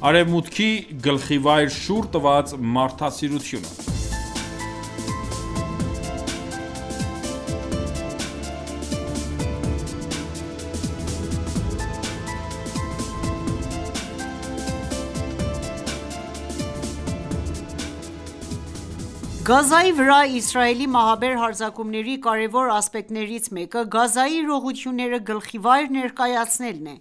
Արևմուտքի գլխիվայր շուռ տված մարդասիրությունը։ Գազայի վրա Իսրայելի մահաբեր հարձակումների կարևոր ասպեկտներից մեկը Գազայի իրողությունները գլխիվայր ներկայացնելն է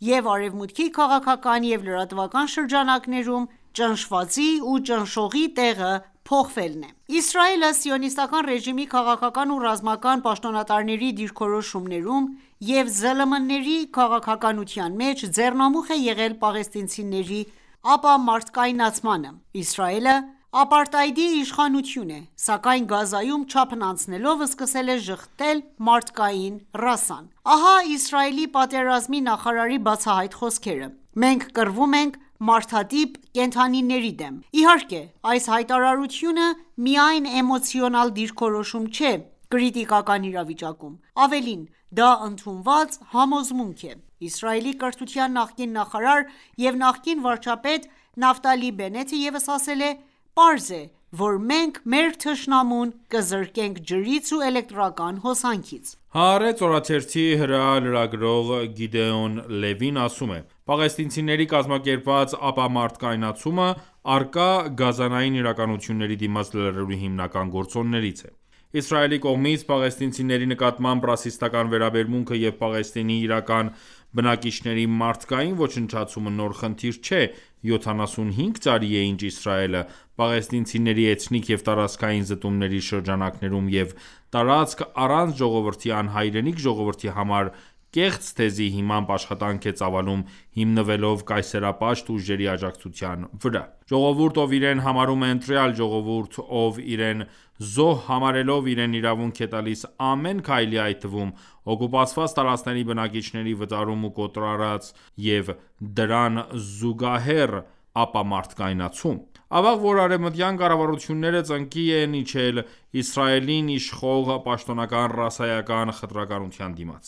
և Արևմուտքի քաղաքական և լրատվական շրջանակներում ճնշվածի ու ճնշողի տեղը փոխվելն է: Իսրայելը Սիոնիստական ռեժիմի քաղաքական ու ռազմական պաշտոնատարների դիրքորոշումներում և ԶԼՄ-ների քաղաքականության մեջ ձեռնամուխ է եղել պաղեստինցիների ապամարտկայնացմանը: Իսրայելը ապարտայդի իշխանություն է, սակայն Գազայում չափն անցնելով սկսել է ժխտել մարդկային ռասան: Ահա Իսրայելի պատերազմի նախարարի բացահայտ խոսքերը. «Մենք կռվում ենք մարդատիպ կենդանիների դեմ»: Իհարկե, այս հայտարարությունը միայն էմոցիոնալ դիրքորոշում չէ կրիտիկական իրավիճակում: Ավելին, դա ընդունված համոզմունք է: Իսրայելի կրթության նախկին նախարար և նախկին վարչապետ Նաֆտալի Բենեթը ևս ասել է. «Պարզ է, որ մենք մեր թշնամուն կզրկենք ջրից ու էլեկտրական հոսանքից»: Հaaretz օրաթերթի հրահրագրող Գիդեոն Լևին ասում է. «Պաղեստինցիների կազմակերպված ապամարտկայնացումը առկա գազանային իրականությունների դիմաց լրելու հիմնական գործոններից է: Իսրայելի կողմից պաղեստինցիների նկատմամբ ռասիստական վերաբերմունքը և Պաղեստինի իրական բնակիչների մարդկային ոչնչացումը նոր խնդիր չէ: 75 տարի է ինչ Իսրայելը պաղեստինցիների էթնիկ և տարածքային զտումների շրջանակներում և տարածք առանց ժողովրդի անհայրենիք ժողովրդի համար կեղծ թեզի հիմամբ աշխատանք է ծավալում հիմնվելով կայսերապաշտ ուժերի աջակցության վրա: Ժողովուրդ, ով իրեն համարում է ընտրյալ, ժողովուրդ, ով իրեն զոհ համարելով իրեն իրավունք է տալիս ամեն քայլի, այդ թվում օկուպացված տարածքների բնակիչների վտարում ու կոտորած և դրան զուգահեռ ապամարտկայնացում: Ավաղ, որ արևմտյան կառավարությունները ծնկի են իջել Իսրայելին իշխող պաշտոնական ռասայական խտրականության դիմաց: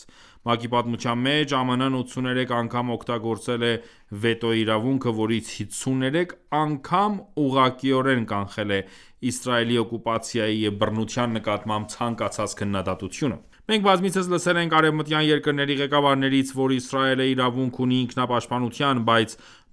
ՄԱԿ-ի պատմության մեջ ԱՄՆ-ն 83 անգամ օգտագործել է վետո իրավունքը, որից 53 անգամ ուղղակիորեն կանխել է Իսրայելի օկուպացիայի և բռնության նկատմամբ ցանկացած քննադատությունը: Մենք բազմիցս լսել ենք արևմտյան երկրների ղեկավարներից, որ Իսրայելը իրավունք ունի ինքնապաշտպանության, բայց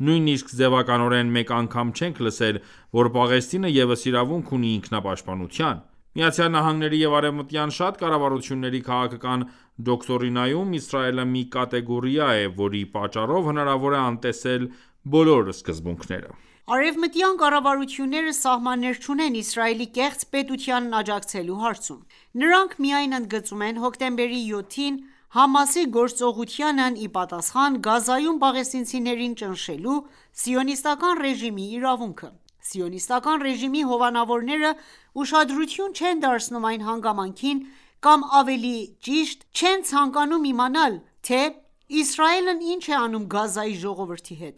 նույնիսկ ձևականորեն մեկ անգամ չենք լսել, որ Պաղեստինը ևս իրավունք ունի ինքնապաշտպանության: ԱՄՆ-ի և արևմտյան շատ կառավարությունների քաղաքական դոկտրինայում Իսրայելը մի կատեգորիա է, որի պատճառով հնարավոր է անտեսել բոլոր սկզբունքները: Արևմտյան կառավարությունները սահմաններ չունեն Իսրայելի կեղծ պետությանն աջակցելու հարցում: Նրանք միայն ընդգծում են հոկտեմբերի 7-ին ՀԱՄԱՍ-ի գործողությանն ի պատասխան Գազայում պաղեստինցիներին ճնշելու Սիոնիստական ռեժիմի իրավունքը: Սիոնիստական ռեժիմի հովանավորները ուշադրություն չեն դարձնում այն հանգամանքին կամ ավելի ճիշտ չեն ցանկանում իմանալ, թե Իսրայելն ինչ է անում Գազայի ժողովրդի հետ,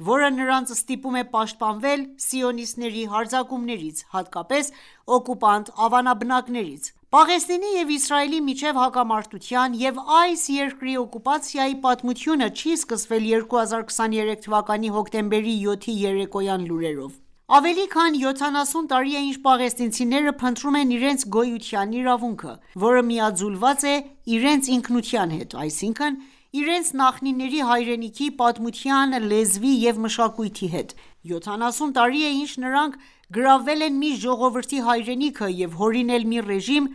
որը նրանց ստիպում է պաշտպանվել սիոնիստների հարձակումներից, հատկապես օկուպանտ ավանաբնակներից: Պաղեստինի և Իսրայելի միջև հակամարտության և այս երկրի օկուպացիայի պատմությունը չի սկսվել 2023 թվականի հոկտեմբերի 7-ի երեկոյան լուրերով: Ավելի քան 70 տարի է ինչ պաղեստինցիները փնտրում են իրենց գոյության իրավունքը, որը միաձուլված է իրենց ինքնության հետ, այսինքն իրենց նախնիների հայրենիքի, պատմության, լեզվի և մշակույթի հետ: 70 տարի է ինչ նրանք գրավել են մի ժողովրդի հայրենիքը և հորինել մի ռեժիմ,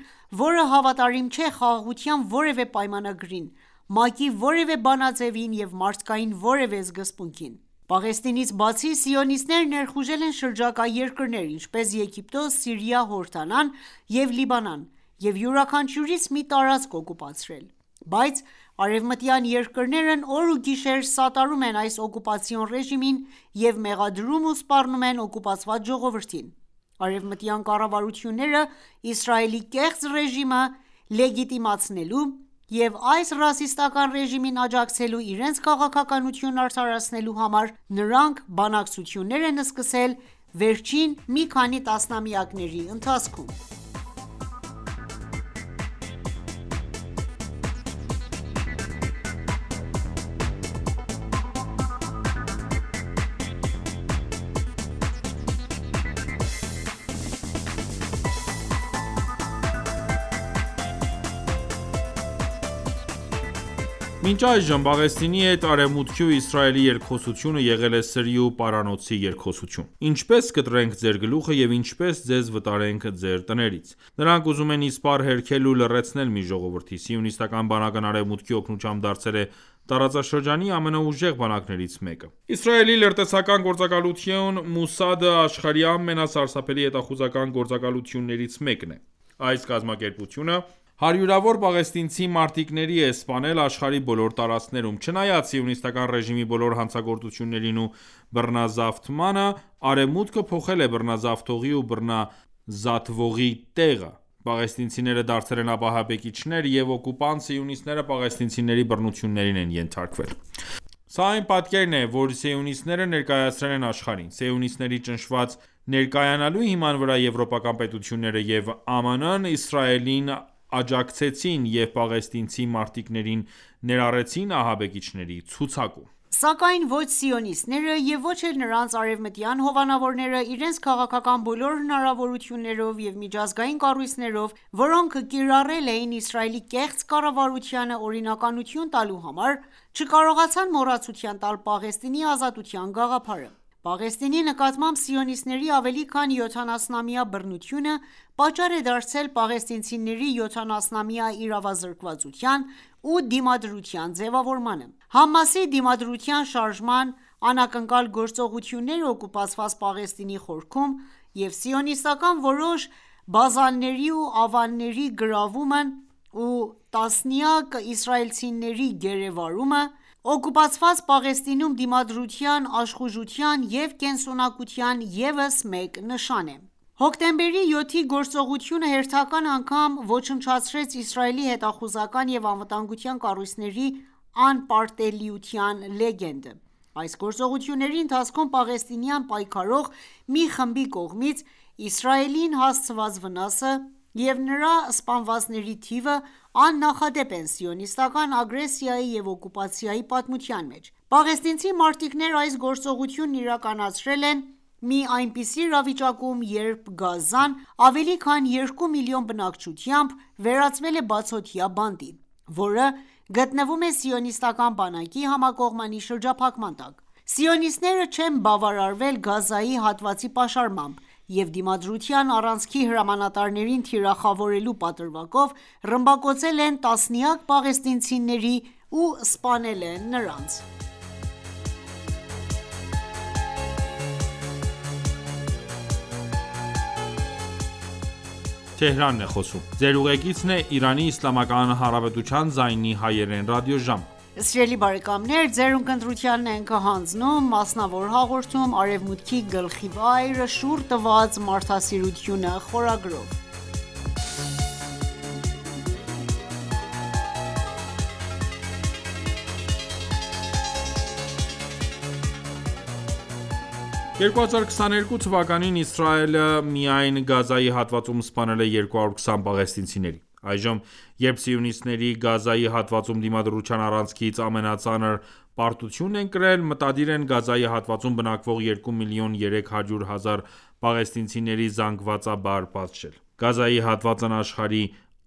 որը հավատարիմ չէ խաղաղության որևէ պայմանագրին, ՄԱԿ-ի որևէ բանաձևին և մարդկային որևէ սկզբունքին: Պաղեստինից բացի, սիոնիստները ներխուժել են շրջակա երկրներ, ինչպես Եգիպտոս, Սիրիա, Հորդանան և Լիբանան և յուրաքանչյուրից մի տարածք օկուպացրել: Բայց արևմտյան երկրներն օր ու գիշեր սատարում են այս օկուպացիոն ռեժիմին և մեղադրում ու սպառնում են օկուպացված ժողովրդին: Արևմտյան կառավարությունները Իսրայելի կեղծ ռեժիմը լեգիտիմացնելու և այս ռասիստական ռեժիմին աջակցելու իրենց քաղաքականությունն արդարացնելու համար նրանք բանակցություններ են սկսել վերջին մի քանի տասնամյակների ընթացքում: Մինչ այժմ Պաղեստինի հետ Արևմուտքի ու Իսրայելի երկխոսությունը եղել է սրի ու պարանոցի երկխոսություն։ Ինչպե՞ս կտրենք ձեր գլուխը և ինչպե՞ս ձեզ վտարենք ձեր տներից։ Նրանք ուզում են իսպառ հերքել ու լռեցնել մի ժողովրդի։ Սիոնիստական բանակն Արևմուտքի օգնությամբ դարձել է տարածաշրջանի ամենաուժեղ բանակներից մեկը։ Իսրայելի լրտեսական գործակալություն Մոսադը աշխարհի ամենասարսափելի հետախուզական գործակալություններից մեկն է։ Այս կազմակերպությունը հարյուրավոր պաղեստինցի մարտիկների է սպանել աշխարհի բոլոր տարածքներում։ Չնայած սիոնիստական ռեժիմի բոլոր հանցագործություններին ու բռնազավթմանը, Արևմուտքը փոխել է բռնազավթողի ու բռնազատվողի տեղը։ Պաղեստինցիները դարձել են ապահաբեկիչներ և օկուպանտ սիոնիստները պաղեստինցիների բռնություններին են ենթարկվել։ Սա այն պատկերն է, որ սիոնիստները ներկայացրել են աշխարհին։ Սիոնիստների ճնշված ներկայանալու հիման վրա եվրոպական պետությունները և ԱՄՆ-ն Իսրայելին աջակցեցին և պաղեստինցի մարտիկներին ներառեցին ահաբեկիչների ցուցակում։ Սակայն ոչ սիոնիստները և ոչ էլ նրանց արևմտյան հովանավորները իրենց քաղաքական բոլոր հնարավորություններով և միջազգային կառույցներով, որոնք կիրառել էին Իսրայելի կեղծ կառավարությանը օրինականություն տալու համար, չկարողացան մոռացության տալ Պաղեստինի ազատության գաղափարը։ Պաղեստինի նկատմամբ սիոնիստների ավելի քան 70-ամյա բռնությունը պատճառ է դարձել պաղեստինցիների 70-ամյա իրավազրկվածության ու դիմադրության ձևավորմանը։ ՀԱՄԱՍ-ի դիմադրության շարժման անակնկալ գործողությունները օկուպացված Պաղեստինի խորքում և սիոնիստական որոշ բազաների ու ավանների գրավումն ու տասնյակ իսրայելցիների գերեվարումը, օկուպացված Պաղեստինում դիմադրության, աշխուժության և կենսունակության ևս մեկ նշան է։ Հոկտեմբերի 7-ի գործողությունը հերթական անգամ ոչնչացրեց Իսրայելի հետախուզական և անվտանգության կառույցների անպարտելիության լեգենդը։ Այս գործողությունների ընթացքում պաղեստինյան պայքարող մի խմբի կողմից Իսրայելին հասցված վնասը և նրա սպանվածների թիվը աննախադեպ են սիոնիստական ագրեսիայի և օկուպացիայի պատմության մեջ։ Պաղեստինցի մարտիկները այս գործողությունն իրականացրել են մի այնպիսի իրավիճակում, երբ Գազան ավելի քան 2 միլիոն բնակչությամբ վերածվել է բացօթյա բանտի, որը գտնվում է սիոնիստական բանակի համակողմանի շրջափակման տակ։ Սիոնիստները չեն բավարարվել Գազայի հատվածի պաշարմամբ և դիմադրության առանցքի հրամանատարներին թիրախավորելու պատրվակով ռմբակոծել են տասնյակ պաղեստինցիների ու սպանել են նրանց։ «2022 թվականին Իսրայելը միայն Գազայի հատվածում սպանել է 220 պաղեստինցիների։ Այժմ, երբ սիոնիստների Գազայի հատվածում դիմադրության առանցքից ամենածանր պարտությունն են կրել, մտադիր են Գազայի հատվածում բնակվող 2 միլիոն 300 հազար պաղեստինցիների զանգվածաբար պատժել։ Գազայի հատվածն աշխարհի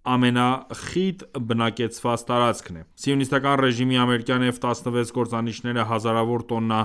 ամենախիտ բնակեցված տարածքն է։ Սիոնիստական ռեժիմի ամերիկյան F-16 կործանիչները հազարավոր տոննա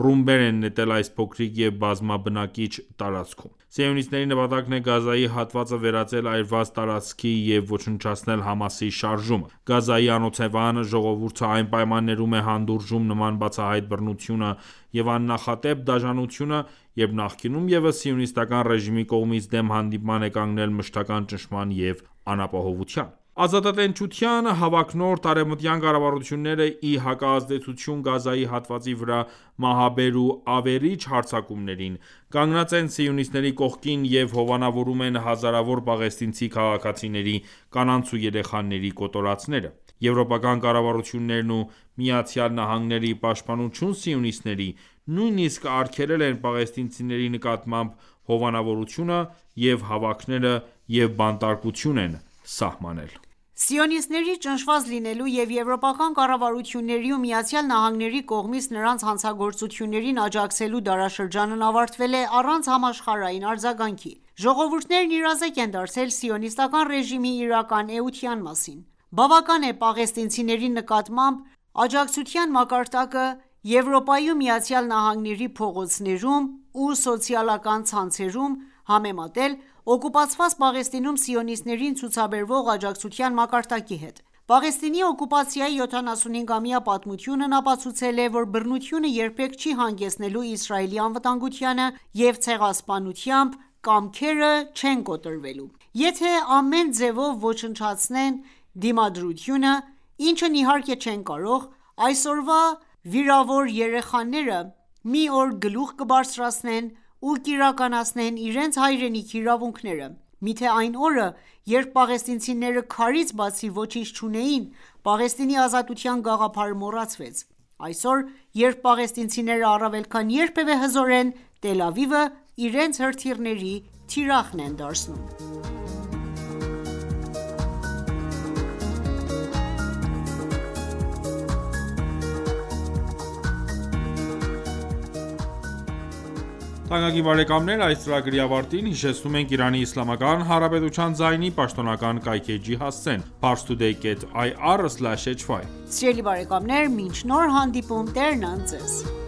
ռումբեր են նետել այս փոքրիկ և բազմաբնակիչ տարածքում։ Սիոնիստների նպատակն է Գազայի հատվածը վերածել այրված տարածքի և ոչնչացնել ՀԱՄԱՍ-ի շարժումը։ Գազայի անօթևան ժողովուրդը այն պայմաններում է հանդուրժում նման բացահայտ բռնությունը և աննախադեպ դաժանությունը, երբ նախկինում ևս սիոնիստական ռեժիմի կողմից դեմ հանդիման է կանգնել մշտական ճնշման և անապահովության։ Ազատատենչության հավակնորդ արևմտյան կառավարությունները, ի հակազդեցություն Գազայի հատվածի վրա մահաբեր ու ավերիչ հարձակումներին, կանգնած են սիոնիստների կողքին և հովանավորում են հազարավոր պաղեստինցի քաղաքացիների, կանանց ու երեխաների կոտորածները։ Եվրոպական կառավարություններն ու ԱՄՆ-ն, ի պաշտպանություն սիոնիստների, նույնիսկ արգելել են պաղեստինցիների նկատմամբ հովանավորությունը և հավաքները և բանտարկություն են սահմանել։ Սիոնիստների ճնշված լինելու և եվրոպական կառավարությունների ու ԱՄՆ-ի կողմից նրանց հանցագործություններին աջակցելու դարաշրջանն ավարտվել է առանց համաշխարհային արձագանքի։ Ժողովուրդներն իրազեկ են դարձել սիոնիստական ռեժիմի իրական էության մասին։ Բավական է պաղեստինցիների նկատմամբ Աջակցության մակարդակը Եվրոպայում ԱՄՆ-ի փողոցներում ու սոցիալական ցանցերում համեմատել օկուպացված Պաղեստինում սիոնիստներին ցուցաբերվող աջակցության մակարդակի հետ: Պաղեստինի օկուպացիայի 75-ամյա պատմությունն ապացուցել է, որ բռնությունը երբեք չի հանգեցնելու Իսրայելի անվտանգությանը և ցեղասպանությամբ կամքերը չեն կոտրվելու: Եթե ամեն ձևով ոչնչացնեն Դիմադրությունը, ինչն իհարկե չեն կարող, այսօրվա վիրավոր երեխաները մի օր գլուխ կբարձրացնեն ու կիրականացնեն իրենց հայրենիքի իրավունքները: Միթե այն օրը, երբ պաղեստինցիները քարից բացի ոչինչ չունեին, Պաղեստինի ազատության գաղափարը մոռացվեց: Այսօր, երբ պաղեստինցիները առավել քան երբևէ հզոր են, Տել Ավիվը իրենց հրթիռների թիրախն են դարձնում: Այս ծրագրի ավարտին հիշեցնում ենք Իրանի Իսլամական Հանրապետության ձայնի պաշտոնական կայքէջի հասցեն՝ parstoday.ir/hy: Սիրելի բարեկամներ, մինչ նոր հանդիպում, Տերն ընդ Ձեզ: